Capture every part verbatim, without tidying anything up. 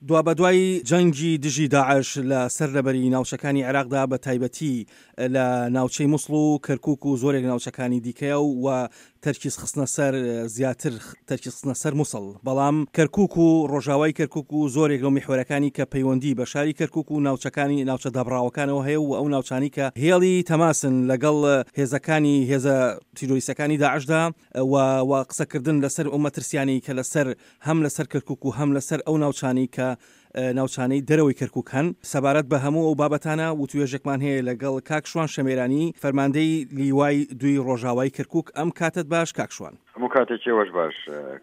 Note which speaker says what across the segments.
Speaker 1: دوابەدوای جەنگی دژی داعش لە سەرلەبەری ناوچەکانی عێراقدا بە تایبەتی لە ناوچەی موسڵ و کەرکوک و زۆرێک ناوچەکانی دیکەیە و تەرکیز خستنە سەر زیاتر تەرکیز خستنە سەر موسڵ، بەڵام کەرکوک و ڕۆژاوای کەرکوک و زۆرێک لەو میحوەرەکانی کە پەیوەندی بە شاری کەرکوک و ناوچەکانی ناوچە دابڕاوەکانەوە هەیە و ئەو ناوچانەی کە هێڵی تەماسن لەگەڵ هێزەکانی هێزە تیرۆریستەکانی داعشدا و و قسەکردن لەسەر ئەو مەترسیانەی کە لەسەر هەم لەسەر کەرکوک و هەم لەسەر ئەو ناوچانەی کە ناوچانەی دەرەوەی کەرکوک هەن. سەبارەت بە هەموو ئەو بابەتانە وتوێژێکمان هەیە لەگەڵ کاک شوان شەمێرانی فەرماندەی لیوای دووی ڕۆژاوای کەرکوک. ئەم کاتت باش کاک شوان.
Speaker 2: هەموو کاتێکی ئێوەش باش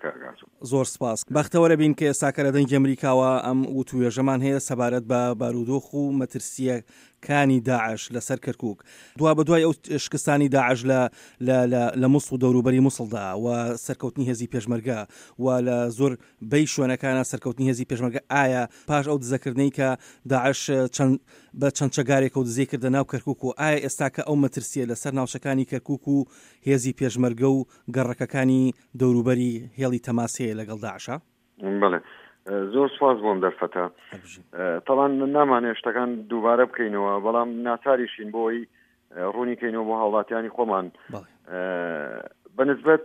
Speaker 2: کاک ئاسۆ.
Speaker 1: زۆر سپاس. بەختەوەرە بین کە ئێستاکە لە دەنگی ئەمریکاوە ئەم وتوێژەمان هەیە سەبارەت بە بارودۆخ و مەترسییەکانی داعش لەسەر کەرکوک. دوابەدوای ئەو شکستانی داعش لە لە لە لە موسڵ و دەوروبەری موسڵدا و سەرکەوتنی هێزی پێشمەرگە و لە زۆر بەی شوێنەکانە سەرکەوتنی هێزی پێشمەرگە، ئایا پاش ئەو دزەکردنەی کە داعش چەند بە چەند چەگارێکەوە دزەی کردە ناو کەرکوک و ئایا ئێستاکە ئەو مەترسیە لەسەر ناوچەکانی کەرکوک و هێزی پێشمەرگە و گەڕەکەکانی دەوروبەری هێڵی تەماس هەیە لەگەڵ داعشا؟
Speaker 2: بەڵێ، زۆر سوپاس بۆم دەرفەتە. تەڵان نامانێ شتەکان دووبارە بکەینەوە، بەڵام ناچاریشین بۆ ئەوەی ڕوونی کەینەوە بۆ هاوڵاتیانی خۆمان. بەنسبەت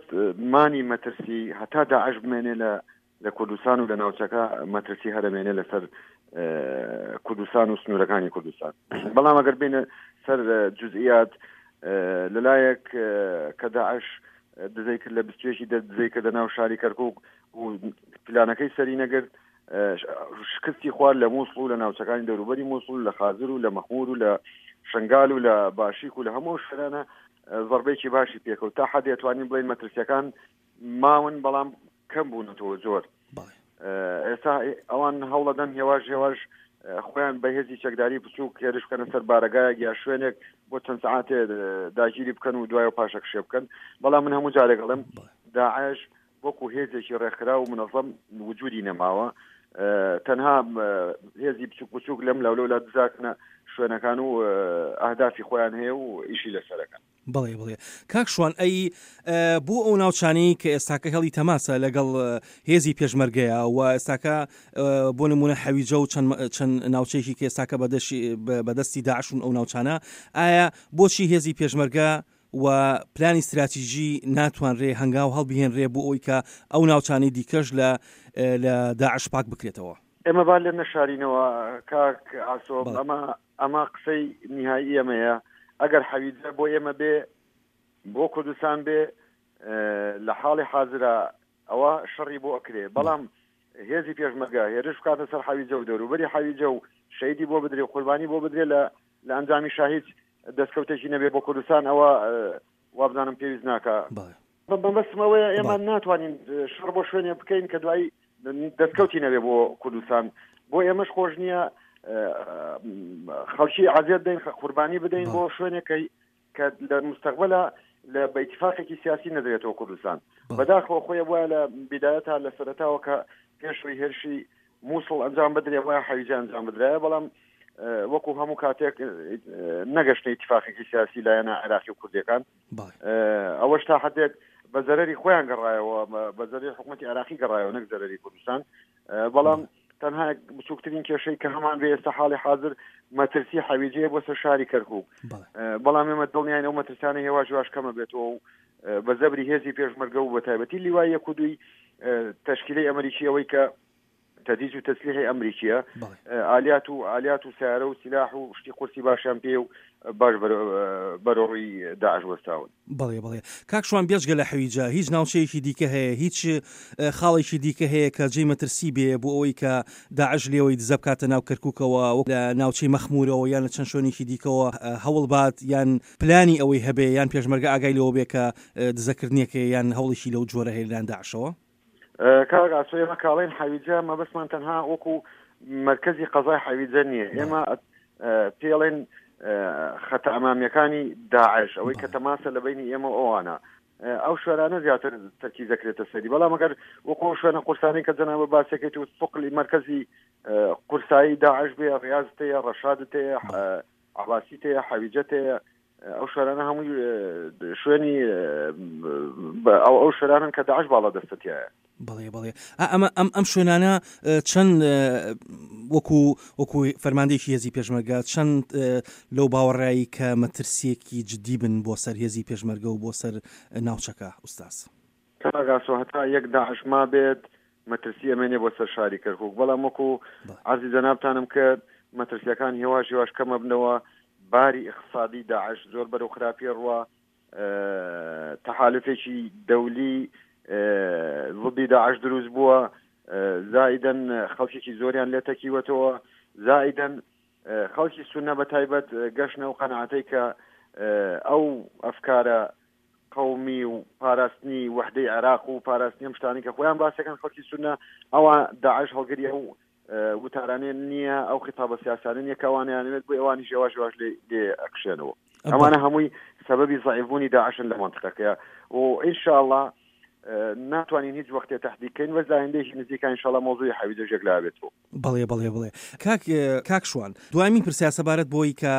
Speaker 2: مانی مەترسی هەتا داعش بمێنێ لە لە کوردستان و لە ناوچەکە مەترسی هەرەمێنێ لەسەر کوردستان و سنوورەکانی کوردستان. بەڵام ئەگەر بینە سەر جزئیات، لەلایەک کە داعش دزەی کرد لە بیست و یەکی دزەی کردە ناو شاری کەرکوک و پلانەکەی سەری نەگرت، شکستی خوارد لە مووسڵ و لە ناوچەکانی دەوروبەری مووسڵ و لە خازر و لە مەخمور و لە شنگال و لە باشیک و لە هەموو شوێنانە زەربەیەکی باشی پێکەوت. تا حەدێ توانین بڵێین مەترسیەکان ماون، بەڵام کەم بوونەتەوە زۆر. ئێستا ئەوان هەوڵەدەن هێواش هێواش خۆیان بە هێزی چەکداری بچووک هێرش بکەنە سەر بارەگایەک یا شوێنێک بۆ چەند سەعاتێ داگیری بکەن و دوای پاشەکشێ بکەن. بەڵام من هەموو جارێک ئەڵێم داعش وەکو هێزێکی ڕێکخرا و منەظەم وجودی نەماوە، تەنها هێزی بچوک بچوک لەم لاولەولا دزاکنە شوێنەکان و ئەهدافی خۆیان هەیە و ئیشی لەسەرەکەن.
Speaker 1: بەڵێ بڵێ کاک شوان، ئەی بۆ ئەو ناوچانەی کە ئێستاکە هێڵی تەماسە لەگەڵ هێزی پێشمەرگەیە و ئێستاکە بۆ نمونە حەویجە و چەند ناوچەیەکی کە ئێستاکە بەدەستی داعشون ئەو ناوچانە، ئایا بۆچی هێزی پێشمەرگە و پلانی استراتیژی ناتوانرێ هەنگاو هەڵبهێنرێ بۆ ئەوی کە ئەو ناوچانەی دیکەش لە لە داعش پاک بکرێتەوە؟
Speaker 2: ئێمە با لێ نەشارینەوە کاک ئاسۆ، ئەمە ئەمە قسەی نهایی ئێمەیە. ئەگەر حەویجە بۆ ئێمە بێ، بۆ کوردستان بێ، لە حاڵی حازرە ئەوە شەڕی بۆ ئەکرێ، بەڵام هێزی پێشمەرگە هێرش بکاتە سەر حەویجە و دەوروبەری حەویجە و شەهیدی بۆ بدرێ و قوربانی بۆ بدرێ، لە لە ئەنجامی شاهید دەستکەوتێکی نەبێ بۆ کوردستان، ئەوە وابزانم پێویست ناکە. بەمەبەستم ئەوەیە ئێمە ناتوانین شەڕ بۆ شوێنێ بکەین کە دوایی دەستکەوتی نەبێ بۆ کوردستان. بۆ ئێمەش خۆش نییە خەڵکی عزیەت بدەین، قوربانی بدەین بۆ شوێنێک کە لە مستەقبلە لە بە ئیتفاقێکی سیاسی نەدرێتەوە کوردستان. بەداخەوە خۆی وایە لە بیدایەتا لە سەرەتاوە کە پێشوی هێرشی مووسڵ ئەنجام بدرێ وایە حەویجە ئەنجام بدرایە، بەڵام وەکو هەموو کاتێک نەگەشتە ئیتفاقێکی سیاسی لایەنە عێراقی و کوردیەکان. ئەوەش تا حدێک بە زەرری خۆیان گەڕایەوە، بە زەرری حکوومەتی عێراقی گەڕایەوە نەک زەرری کوردستان. بەڵام تەنها بچووکترین کێشەی کە هەمان بێ ئێستا حاڵی حاضر مەترسی حەویجەیە بۆ سەر شاری کەرکوک، بەڵام ئێمە دڵنیاین ئەو مەترسانە هێواش هێواش کەمە بێتەوە و بە زەبری هێزی پێشمەرگە و بە تایبەتی لیوای یەک و دووی تەشکیلەی ئەمریکی، ئەوەی کە تەجهیز و تەسلیحی ئەمریکیە، ئالیات و ئالیات و سیارە و سلاح و شتی قورسی باشیان پێ و باش بەرەوڕووی داعش وەستاون.
Speaker 1: بەڵێ بەڵێ کاک شوان، بێجگە لە حەویجە هیچ ناوچەیەکی دیکە هەیە، هیچ خاڵێکی دیکە هەیە کە جێی مەترسی بێ بۆ ئەوەی کە داعش لێوەی دزە بکاتە ناو کەرکووکەوە، لە ناوچەی مەخمورەوە یان لە چەند شوێنێکی دیکەوە هەوڵ بات یان پلانی ئەوەی هەبێ یان پێشمەرگە ئاگای لەوە بێ کە دزەکردنێکە یان هەوڵێکی لەو جۆرە هەیە لەلایەن داعشەوە؟
Speaker 2: کاک ئاسۆ، ئێمە کاڵین حەویجە مەبەستمان تەنها وەکو مرکزی قەزای حەویجە نییە. ئێمە پێڵێن خەتە ئەمامیەکانی داعش، ئەوەی کە تەماسە لە بینی ئێمە ئەوانە، ئەو شوێنانە زیاتر تەرکیز دەکرێتە سەری. بەڵام ئەگەر وەکو شوێنە قورسانی کە جەنابە باسەکەیت و ثقلی مرکزی قورسایی داعش بێ، ڕیاز تەیە، ڕەشاد تەیە، عباسی تەیە، حەویجە تەیە، ئەو شوێنانە هەمووی شوێنی ئەو ئەو شوێنانن کە داعش باڵا دەستەتیایە.
Speaker 1: بەڵێ بەڵێ ئەمە ئەم ئەم شوێنانە چەند وەکو وەکو فەرماندەیەکی هێزی پێشمەرگە چەند لەو باوەڕایی کە مەترسیەکی جدی بن بۆ سەر هێزی پێشمەرگە و بۆ سەر ناوچەکە ئوستاز؟
Speaker 2: کاک ئاسۆ هەتا یەک داعش مابێت مەترسی ئەمێنێ بۆ سەر شاری کەرکوک، بەڵام وەکو عەرزی جەنابتانم کرد مەترسیەکان هێواش هێواش کەم ئەبنەوە، باری ئیقتسادی داعش زۆر بەرەو خراپی ڕوا، تەحالفێکی دەولی ضدی داعش دروست بووە، زائیدەن خەڵکێکی زۆریان لێ تەکیوەتەوە، زائیدەن خەڵکی سوننە بە تایبەت گەشتنە ئەو قەناعەتەی کە ئەو ئەفکارە قەومی و پاراستنی وەحدەی عێراق و پاراستنی ئەم شتانەی کە خۆیان باسەکەن خەڵکی سوننە ئەوە داعش هەڵگری ئەو وتارانێ نییە، ئەو خیتابە سیاسانە نییە کە ئەوانیانەوێت، بۆ ئەوانیش هێواش هێواش لێ لێ ئەکشێنەوە. ئەمانە هەمووی سەبەبی زەعیفبوونی داعشن لە مەنتقەکەیە و ئینشاءاللە ناتوانین هیچ وەختێ تەحدید کەین، بەس لە ئایندەیەکی نزیکا ئینشاءاللە مەوزوعی حەویجەش یەکلا بێتەوە.
Speaker 1: بەڵێ بەڵێ بەڵێ کاک کاک شوان دوایمین پرسیار سەبارەت بۆی کە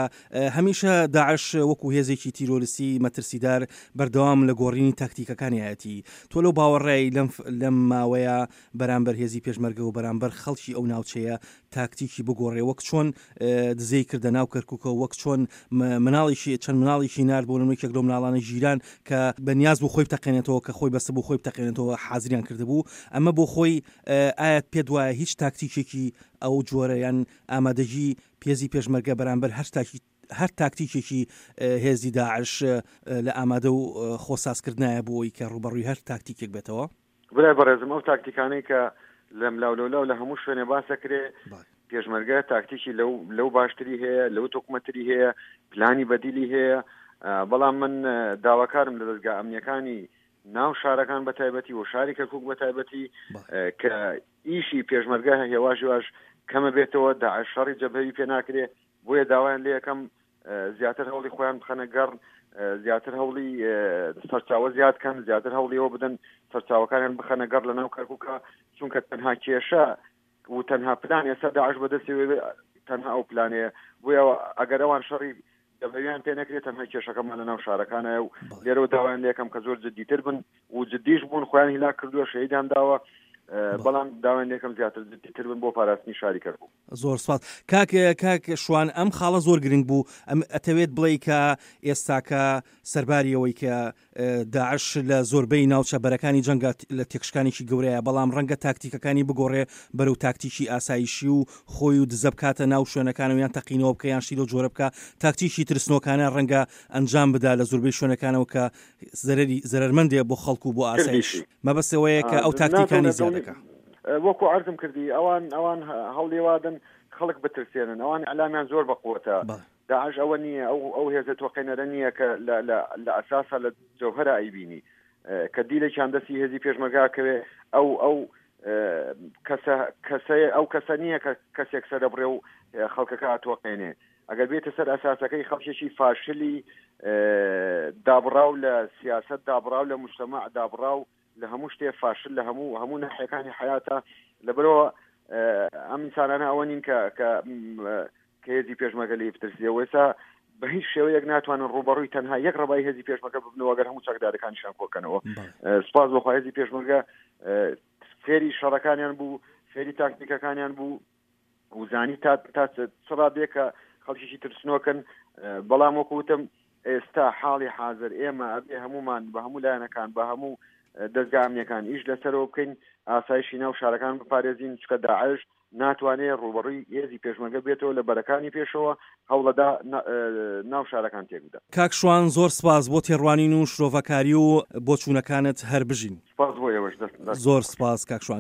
Speaker 1: هەمیشە داعش وەکو هێزێکی تیرۆریستی مەترسیدار بەردەوام لە گۆڕینی تاکتیکەکانیایەتی تۆ لەو باوەڕای لەم لەم ماوەیە بەرامبەر هێزی پێشمەرگە و بەرامبەر خەڵکی ئەو ناوچەیە تاکتیکی بگۆڕێ وەک چۆن دزەی کردە ناو کەرکوکەوە وەک چۆن مناڵێکی چەند مناڵێکی نارد بۆ نمونە یەکێک لەو مناڵانە ژیران کە بە نیاز بوو خۆی بتەقێنێتەوە کە خۆی بەستبوو خۆی بتەقێنێتەوە حازریان کردبوو ئەمە بۆ خۆی ئایا پێت وایە هیچ تاکتیکێکی ئەو جۆرە یان ئامادەگی پێزی پێشمەرگە بەرامبەر هەر تاکی هەر تاکتیکێکی هێزی داعش لە ئامادە و خۆسازکردنایە بۆ ئەوەی کە ڕووبەڕووی هەر تاکتیکێک بێتەوە؟
Speaker 2: برای بەڕێزم ئەو تاکتیکانەی کە لەملاولەولاو لە هەموو شوێنێ باس ئەکرێ پێشمەرگە تاکتیکی لەو لەو باشتری هەیە، لەو تۆکمەتری هەیە، پلانی بەدیلی هەیە، بەڵام من داواکارم لە دەزگا ئەمنیەکانی ناو شارەکان بە تایبەتی و شاری کەرکوک بە تایبەتی کە ئیشی پێشمەرگە هێواش هێواش کەمە بێتەوە، داعش شەڕی جەبهەوی پێ ناکرێ، بۆیە داوایان لێ یەکەم زیاتر هەوڵی خۆیان بخەنە گەڕ، زیاتر هەوڵی سەرچاوە زیاد کەن، زیاتر هەوڵیەوە بدەن سەرچاوەکانیان بخەنە گەڕ لە ناو کەرکوکە، چونکە تەنها کێشە و تەنها پلان ئێستا داعش بەدەستەوە تەنها ئەو پلانەیە، بۆیە ئەگەر ئەوان شەڕی دەبەویان پێ نەکرێت تەنها کێشەکەمان لە ناو شارەکانە و لێرەوە داوایان لێکەم کە زۆر جدیتر بن و جدیش بوون، خۆیان هیلاک کردووە، شەهیدان داوە، بەڵام داوایان لێکەم زیاتر جدیتر بن بۆ پاراستنی شاری کەرکوک.
Speaker 1: زۆر سپاس کاک کاک شوان، ئەم خاڵە زۆر گرنگ بوو. ئەم ئەتەوێت بڵێ کە ئێستاکە سەرباری ئەوەی کە داعش لە زۆربەی ناوچە بەرەکانی جەنگە لە تێکشکانێکی گەورەیە، بەڵام ڕەنگە تاکتیکەکانی بگۆڕێ بەرەو تاکتیکی ئاسایشی و خۆی و دزە بکاتە ناو شوێنەکانەوە یان تەقینەوە بکە یان شتی لەو جۆرە بکە، تاکتیکی ترسنۆکانە ڕەنگە ئەنجام بدا لە زۆربەی شوێنەکانەوە کە زەرەری زەرەرمەندێ بۆ خەڵک و بۆ ئاسایش.
Speaker 2: کردیشی.
Speaker 1: مەبەست ئەوەیە کە ئەو تاکتیکانی زیاد دەکا.
Speaker 2: وەکو عەرزم کردی ئەوان ئەوان هەوڵی وادەن خەڵک بترسێنن، ئەوان ئیعلامیان زۆر بە قوەتە. داعش ئەوە نییە، ئەو ئەو هێزە تۆقێنەرە نییە کە لە لە لە ئەساسا لە جەوهەرا ئەیبینی کە دیلێکیان دەستی هێزی پێشمەرگە کەوێ، ئەو ئەو کەسە کەسە ئەو کەسە نییە کە کەسێک سەرەبڕێ و خەڵکەکە ئەتۆقێنێ. ئەگەر بێتە سەر ئەساسەکەی خەڵکێکی فاشلی دابڕاو لە سیاسەت، دابڕاو لە مجتەمەع، دابڕاو لە هەموو شتێ، فاشل لە هەموو هەموو ناحیەکانی حیاتە. لەبەرەوە ئەم ئینسانانە ئەوە نین کە کە کە هێزی پێشمەرگە لێی بترسێ. وێسا بە هیچ شێوەیەک ناتوانن ڕووبەڕووی تەنها یەک ڕەبای هێزی پێشمەرگە ببنەوە ئەگەر هەموو چەکدارەکانیشان کۆکەنەوە. سوپاس بۆ خوا هێزی پێشمەرگە فێری شەڕەکانیان بوو، فێری تاکتیکەکانیان بوو و زانی تا تا چ ڕادەیەک کە خەڵکێکی ترسنۆکن. بەڵام وەکو وتم ئێستا حاڵی حاضر ئێمە ئەبێ هەمومان بە هەموو لایەنەکان بە هەموو دەزگا ئەمنیەکان ئیش لەسەرەوە بکەین، ئاسایشی ناو شارەکان بپارێزین، چونکە داعش ناتوانێت ڕووبەڕووی هێزی پێشمەرگە بێتەوە لە بەرەکانی پێشەوە، هەوڵەدا ناو شارەکان تێک بدە.
Speaker 1: کاک شوان زۆر سپاس بۆ تێڕوانین و شرۆڤەکاری و بۆچوونەکانت، هەر بژین.
Speaker 2: سپاس بۆ ئێوەش، دەست
Speaker 1: زۆر سپاس کاک شوان.